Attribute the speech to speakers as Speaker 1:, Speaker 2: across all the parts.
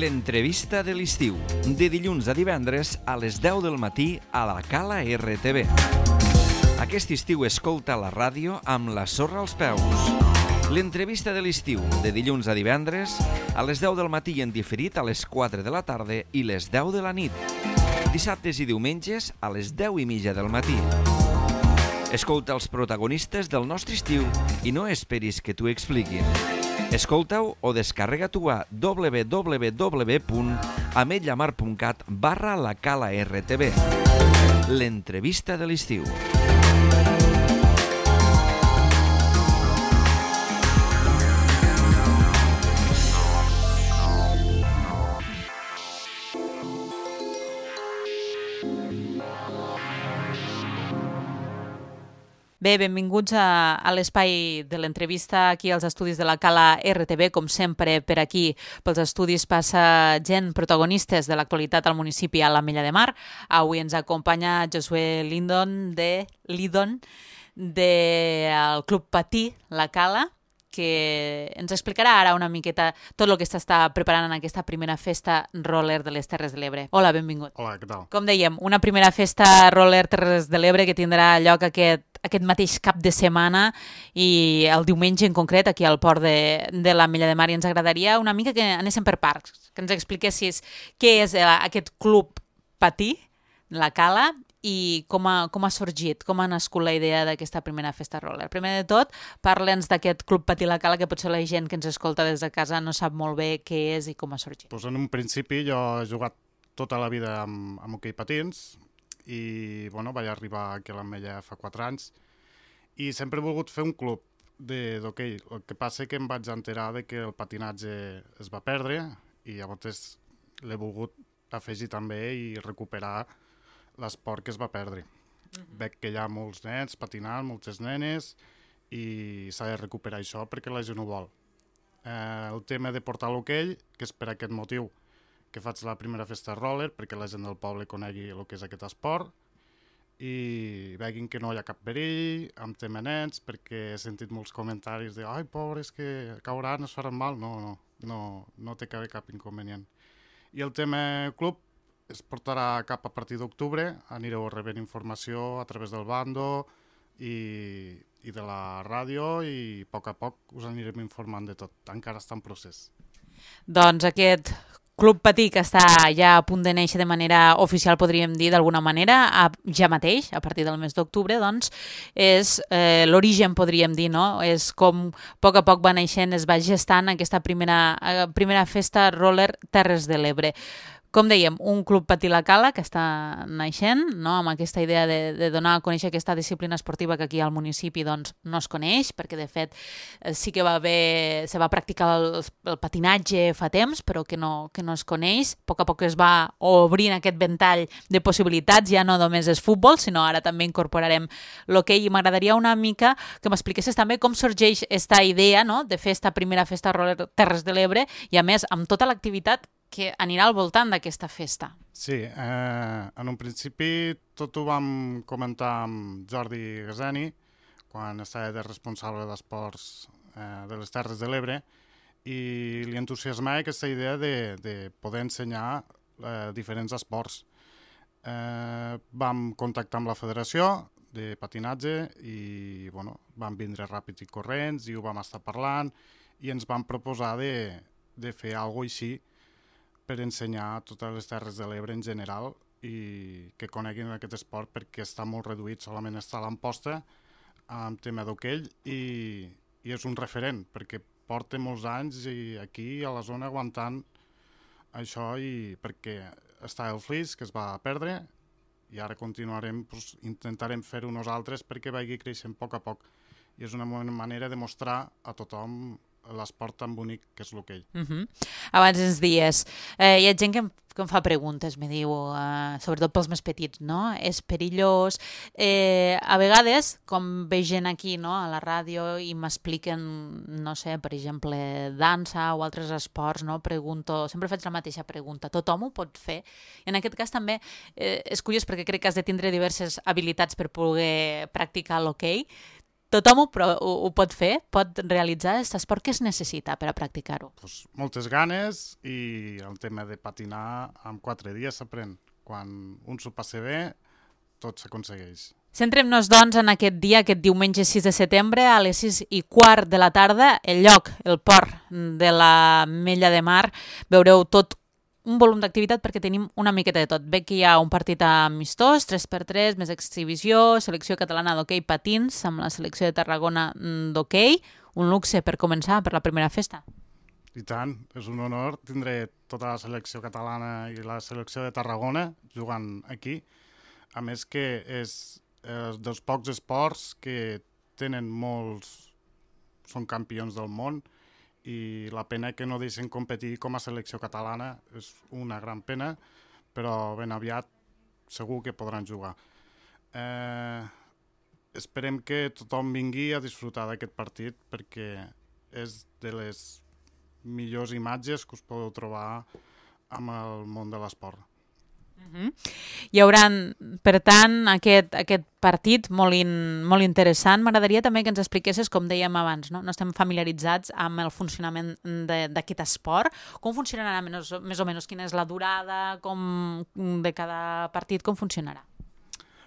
Speaker 1: L'entrevista de l'estiu, de dilluns a divendres a les 10 del matí a la Cala RTV. Aquest estiu escolta la ràdio amb la sorra als peus. L'entrevista de l'estiu, de dilluns a divendres a les 10 del matí en diferit a les 4 de la tarda i les 10 de la nit. Dissabtes i diumenges a les 10:30 del matí. Escolta els protagonistes del nostre estiu i no esperis que t'ho expliquin. Escolta-ho o descarrega-t'ho a www.ametlllamar.cat/la Cala RTV. L'entrevista de l'estiu.
Speaker 2: Bé, benvinguts a l'espai de l'entrevista aquí als estudis de la Cala RTV. Com sempre, per aquí, pels estudis, passa gent, protagonistes de l'actualitat al municipi a l'Ametlla de Mar. Avui ens acompanya Josué Lidon del Club Patí La Cala, que ens explicarà ara una miqueta tot el que s'està preparant en aquesta primera festa roller de les Terres de l'Ebre. Hola, benvingut.
Speaker 3: Hola, què tal?
Speaker 2: Com dèiem, una primera festa roller Terres de l'Ebre que tindrà lloc aquest mateix cap de setmana i el diumenge en concret aquí al port de l'Ametlla de Mar. I ens agradaria una mica que anéssim per parts, que ens expliquessis què és aquest Club Patí, La Cala, i com ha sorgit, com ha nascut la idea d'aquesta primera festa roller. Primer de tot, parla'ns d'aquest Club Patí La Cala, que potser la gent que ens escolta des de casa no sap molt bé què és i com ha sorgit.
Speaker 3: Pues en un principi jo he jugat tota la vida amb hoquei patins i vaig arribar aquí a l'Ametlla fa 4 anys i sempre he volgut fer un club d'hoquei. El que passa que em vaig enterar de que el patinatge es va perdre i llavors l'he volgut afegir també i recuperar l'esport que es va perdre. Veig que hi ha molts nens patinant, moltes nenes, i s'ha de recuperar això perquè la gent ho vol. El tema de portar l'hoquei, que és per aquest motiu que faig la primera festa roller, perquè la gent del poble conegui el que és aquest esport, i veguin que no hi ha cap perill, amb tema nens, perquè he sentit molts comentaris de «Ai, pobres, que cauran, es faran mal». No té cap inconvenient. I el tema club es portarà cap a partir d'octubre, anireu rebent informació a través del bando i de la ràdio i a poc us anirem informant de tot, encara està en procés.
Speaker 2: Doncs aquest Club Patí, que està ja a punt de néixer de manera oficial, podríem dir d'alguna manera, ja mateix, a partir del mes d'octubre, doncs, és l'origen, podríem dir, no? És com a poc va naixent, es va gestant aquesta primera festa roller Terres de l'Ebre. Com dèiem, un Club Patí La Cala que està naixent, no? Amb aquesta idea de donar a conèixer aquesta disciplina esportiva que aquí al municipi doncs, no es coneix, perquè de fet sí que se va practicar el patinatge fa temps, però que no es coneix. A poc es va obrint aquest ventall de possibilitats, ja no només és futbol, sinó ara també incorporarem l'hoquei, i m'agradaria una mica que m'expliquessis també com sorgeix aquesta idea, no? De fer esta primera festa roller Terres de l'Ebre i a més amb tota l'activitat que anirà al voltant d'aquesta festa.
Speaker 3: Sí, en un principi tot ho vam comentar amb Jordi Gaseni, quan estava de responsable d'esports de les Terres de l'Ebre, i li entusiasmava aquesta idea de poder ensenyar diferents esports. Vam contactar amb la federació de patinatge i vam vindre ràpids i corrents i ho vam estar parlant i ens vam proposar de fer alguna cosa així per ensenyar a totes les Terres de l'Ebre en general i que coneguin aquest esport, perquè està molt reduït, solament està a l'Amposta amb tema d'hoquei i és un referent, perquè porta molts anys i aquí a la zona aguantant això, i perquè està el Flix, que es va perdre, i ara continuarem, intentarem fer-ho nosaltres perquè vagi creixent a poc. I és una manera de mostrar a tothom l'esport tan bonic que és l'hoquei.
Speaker 2: Abans ens dies, hi ha gent que em fa preguntes, me diu, sobretot pels més petits, no? És perillós. A vegades, com veig gent aquí, no, a la ràdio, i m'expliquen, no sé, per exemple, dansa o altres esports, no? Pregunto, sempre faig la mateixa pregunta. Tothom ho pot fer? I en aquest cas també és curiós perquè crec que has de tindre diverses habilitats per poder practicar l'hoquei. tothom ho pot fer, pot realitzar aquest esport. Que es necessita per a practicar-ho?
Speaker 3: Pues, moltes ganes i el tema de patinar en 4 dies s'aprèn. Quan un s'ho passa bé, tot s'aconsegueix.
Speaker 2: Centrem-nos, doncs, en aquest dia, aquest diumenge 6 de setembre, a les 6:15 de la tarda, el lloc, el port de la Mella de Mar. Veureu tot un volum d'activitat perquè tenim una miqueta de tot. Veig que hi ha un partit amistós, 3x3, més exhibició, selecció catalana d'hoquei patins amb la selecció de Tarragona d'hoquei. Un luxe per començar, per la primera festa.
Speaker 3: I tant, és un honor tindre tota la selecció catalana i la selecció de Tarragona jugant aquí. A més que és dels pocs esports que tenen molts... són campions del món i la pena que no deixen competir com a selecció catalana és una gran pena, però ben aviat segur que podran jugar. Esperem que tothom vingui a disfrutar d'aquest partit perquè és de les millors imatges que us podeu trobar amb el món de l'esport.
Speaker 2: Hi haurà, per tant, aquest partit molt interessant. M'agradaria també que ens expliquessis, com dèiem abans, no estem familiaritzats amb el funcionament d'aquest esport. Com funcionarà més o menys? Quina és la durada de cada partit? Com funcionarà?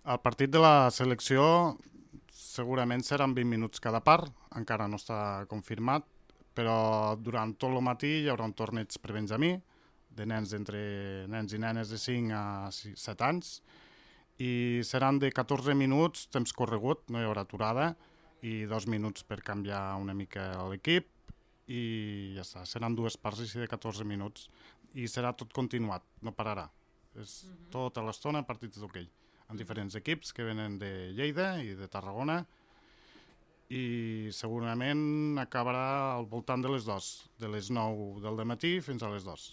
Speaker 3: El partit de la selecció segurament seran 20 minuts cada part, encara no està confirmat, però durant tot el matí hi haurà un torneig prebenjamí, de nens i nenes de 5 a 7 anys, i seran de 14 minuts, temps corregut, no hi haurà aturada, i 2 minuts per canviar una mica l'equip, i ja està, seran 2 parts així de 14 minuts, i serà tot continuat, no pararà. És tota l'estona partits d'hoquei, amb diferents equips que venen de Lleida i de Tarragona, i segurament acabarà al voltant de les 2, de les 9 del dematí fins a les 2.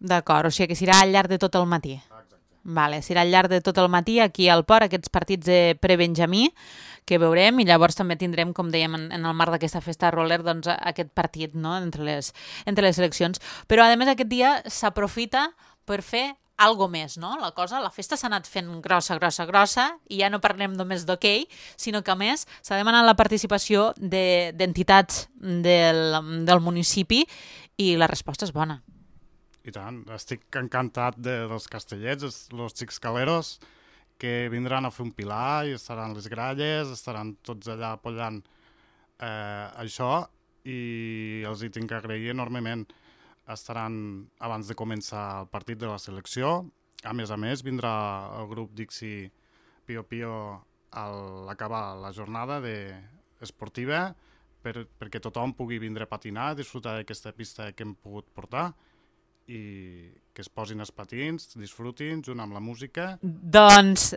Speaker 2: D'acord, o sigui que serà al llarg de tot el matí.
Speaker 3: Exacte.
Speaker 2: Vale, serà al llarg de tot el matí aquí al port, aquests partits de prebenjamí que veurem, i llavors també tindrem, com dèiem, en el marc d'aquesta festa roller, doncs, aquest partit, no?, entre les seleccions. Però, a més, aquest dia s'aprofita per fer algo més, no? La festa s'ha anat fent grossa, i ja no parlem només d'hoquei, sinó que, a més, s'ha demanat la participació d'entitats del municipi i la resposta és bona.
Speaker 3: I tant, estic encantat dels castellets, els xics caleros, que vindran a fer un pilar i estaran les gralles, estaran tots allà apoyant això, i els hi tinc que agrair enormement. Estaran abans de començar el partit de la selecció. A més, vindrà el grup Dixi Pio Pio a l'acabar la jornada esportiva perquè tothom pugui vindre a patinar, disfrutar d'aquesta pista que hem pogut portar i que es posin els patins, disfrutin junt amb la música.
Speaker 2: Doncs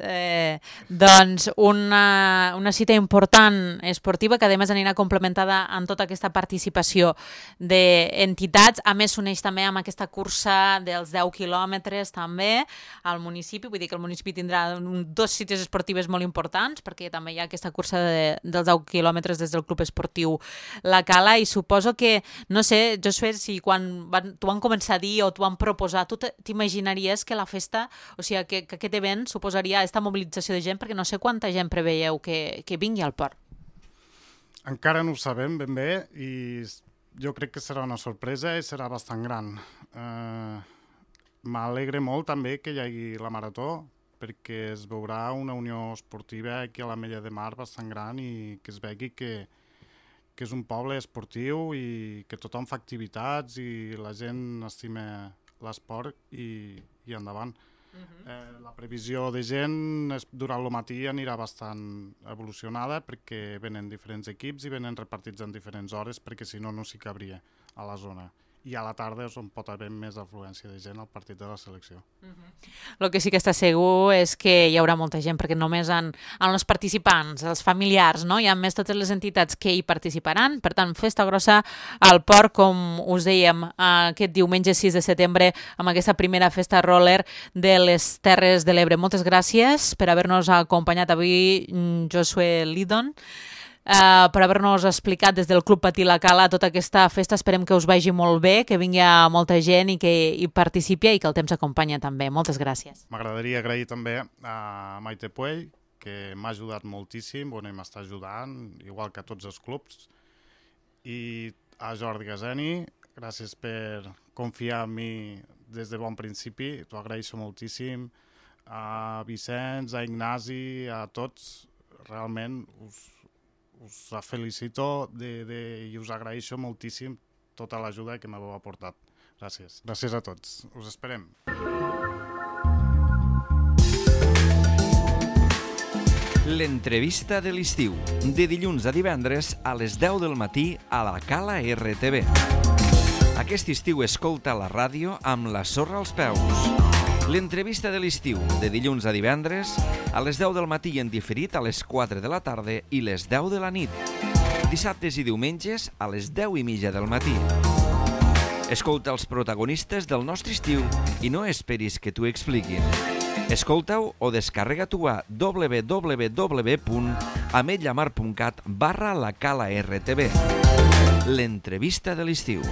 Speaker 2: una cita important esportiva que a més anirà complementada amb tota aquesta participació d'entitats. A més s'uneix també amb aquesta cursa dels 10 quilòmetres també al municipi, vull dir que el municipi tindrà 2 cites esportives molt importants perquè també hi ha aquesta cursa dels 10 quilòmetres des del Club Esportiu La Cala, i suposo que, no sé, Josué, si quan t'ho van començar a dir o t'ho van proposar, tu t'imaginaries que la festa, o sigui, que aquest event suposaria aquesta mobilització de gent, perquè no sé quanta gent preveieu que vingui al port.
Speaker 3: Encara no ho sabem ben bé i jo crec que serà una sorpresa i serà bastant gran. M'alegre molt també que hi hagi la marató, perquè es veurà una unió esportiva aquí a la Mella de Mar bastant gran i que es vegi que és un poble esportiu i que tothom fa activitats i la gent estima l'esport i endavant. La previsió de gent durant el matí anirà bastant evolucionada perquè venen diferents equips i venen repartits en diferents hores perquè si no, no s'hi cabria a la zona. I a la tarda és on pot haver més afluència de gent al partit de la selecció.
Speaker 2: El que sí que està segur és que hi haurà molta gent, perquè només en els participants, els familiars, no? I a més totes les entitats que hi participaran. Per tant, festa grossa al port, com us dèiem, aquest diumenge 6 de setembre, amb aquesta primera festa roller de les Terres de l'Ebre. Moltes gràcies per haver-nos acompanyat avui, Josué Lidon, per haver-nos explicat des del Club Patí La Cala tota aquesta festa. Esperem que us vagi molt bé, que vingui molta gent i que hi participi i que el temps acompanya també. Moltes gràcies.
Speaker 3: M'agradaria agrair també a Maite Puell, que m'ha ajudat moltíssim, bueno, i m'està ajudant, igual que a tots els clubs. I a Jordi Gazeni, gràcies per confiar en mi des de bon principi, t'ho agraeixo moltíssim. A Vicenç, a Ignasi, a tots, realment us felicito i us agraeixo moltíssim tota l'ajuda que m'heu aportat. Gràcies. Gràcies a tots. Us esperem.
Speaker 1: L'entrevista de l'estiu, de dilluns a divendres a les 10 del matí a la Cala RTV. Aquest estiu escolta la ràdio amb la sorra als peus. L'entrevista de l'estiu, de dilluns a divendres a les 10 del matí en diferit a les 4 de la tarda i les 10 de la nit. Dissabtes i diumenges a les 10:30 del matí. Escolta els protagonistes del nostre estiu i no esperis que t'ho expliquin. Escolta-ho o descarrega-t'ho a www.ametlllamar.cat/la Cala RTV. L'entrevista de l'estiu.